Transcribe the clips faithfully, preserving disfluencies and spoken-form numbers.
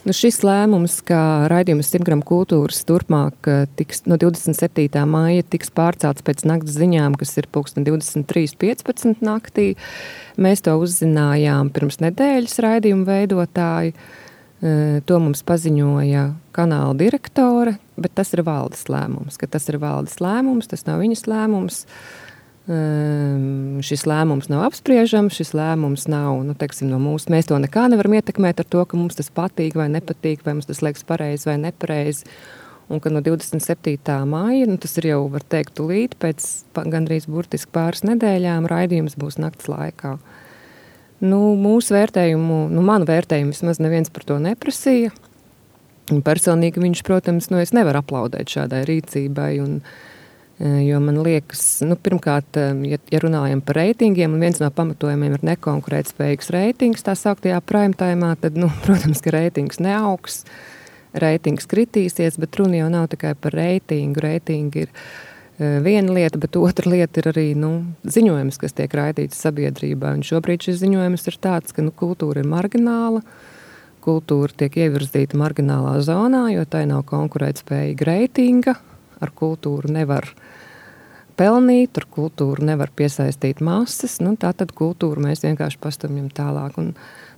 Nu, šis lēmums, ka raidījums simt gramu kultūras turpmāk tiks, no divdesmit septītā maija tiks pārcelts pēc nakts ziņām, kas ir pulksten divdesmit trīs piecpadsmit naktī. Mēs to uzzinājām pirms nedēļas raidījumu veidotāji. To mums paziņoja kanāla direktore, bet tas ir valdes lēmums, ka tas ir valdes lēmums, tas nav viņas lēmums. Um, šis lēmums nav apspriežams, šis lēmums nav, nu, teiksim, no mūsu, mēs to nekā nevaram ietekmēt ar to, ka mums tas patīk vai nepatīk, vai mums tas liekas pareizi vai nepareizi, un ka no divdesmit septītā maija, nu, tas ir jau, var teikt, tūlīt, pēc gandrīz burtiski pāris nedēļām raidījums būs nakts laikā. Nu, mūsu vērtējumu, nu, manu vērtējumu vismaz neviens par to neprasīja, un personīgi viņš, protams, nu, es nevaru aplaudēt šādai rīcībai, un jo man liekas, nu, pirmkārt, ja, ja runājam par reitingiem, un viens no pamatojumiem ir nekonkurētspējīgs reitings, tā sauktajā prime timā, tad, nu, protams, ka reitings neaugs, reitings kritīsies, bet runa jau nav tikai par reitingu. Reitingi ir uh, viena lieta, bet otra lieta ir arī, nu, ziņojums, kas tiek raidīts sabiedrībā, un šobrīd šis ziņojums ir tāds, ka, nu, kultūra ir margināla, kultūra tiek ievirzīta marginālā zonā, jo tai nav konkurētspējīga reitinga, ar kultūru nevar pelnīt, ar kultūru nevar piesaistīt masas, nu, tā tad kultūru mēs vienkārši pastumjam tālāk. Un,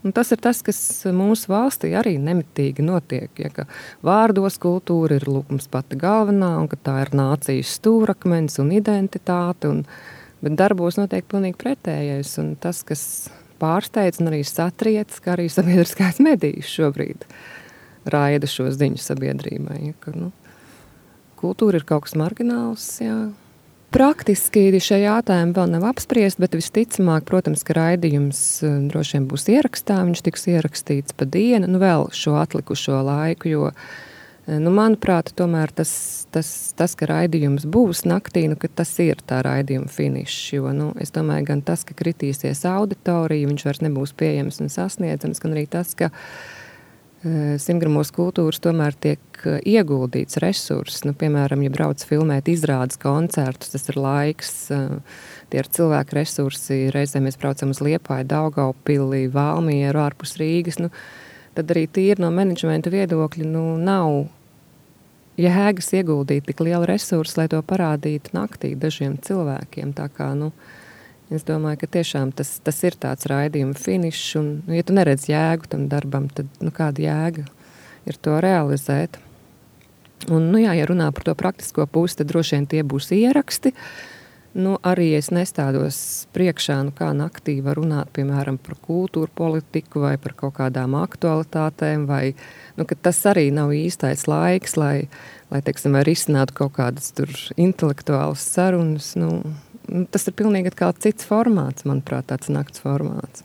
un tas ir tas, kas mūsu valstī arī nemitīgi notiek, ja, ka vārdos kultūra ir lūkums pati galvenā, un ka tā ir nācijas stūrakmens un identitāte, un, bet darbos notiek pilnīgi pretējais, un tas, kas pārsteidz un arī satriec, ka arī sabiedriskais medijs šobrīd raida šo ziņu sabiedrībai, ja, ka, nu, kultūra ir kaut kas margināls, jā. Praktiski šie jautājumi vēl nav apspriest, bet visticamāk, protams, ka raidījums droši vien būs ierakstā, viņš tiks ierakstīts pa dienu, nu vēl šo atlikušo laiku, jo, nu, manuprāt, tomēr tas, tas, tas ka raidījums būs naktī, nu, ka tas ir tā raidījuma finišs, jo, nu, es domāju, gan tas, ka kritīsies auditorija, viņš vairs nebūs pieejams un sasniedzams, gan arī tas, ka simtgramos kultūras tomēr tiek ieguldīts resurss. Nu, piemēram, ja brauc filmēt izrādes koncertus, tas ir laiks, tie ir cilvēku resursi. Reizēm mēs braucam uz Liepāju, Daugavpili, Valmieru, ārpus Rīgas. Nu, tad arī tīri no menedžmenta viedokļa nu, nav jēgas ieguldīt tik lielu resursu, lai to parādītu naktī dažiem cilvēkiem. Tā kā, nu, es domāju, ka tiešām tas, tas ir tāds raidījuma finišs, un, nu, ja tu neredz jēgu tam darbam, tad, nu, kāda jēga ir to realizēt. Un, nu, jā, ja runā par to praktisko pusi, tad droši vien tie būs ieraksti. Nu, arī es nestādos priekšā, nu, kā naktī var runāt, piemēram, par kultūru politiku vai par kaut kādām aktualitātēm, vai, nu, ka tas arī nav īstais laiks, lai, lai teiksim, vai risinātu kaut kādas tur intelektuālas sarunas, nu, tas ir pilnīgi atkal cits formāts, manuprāt, tāds nakts formāts.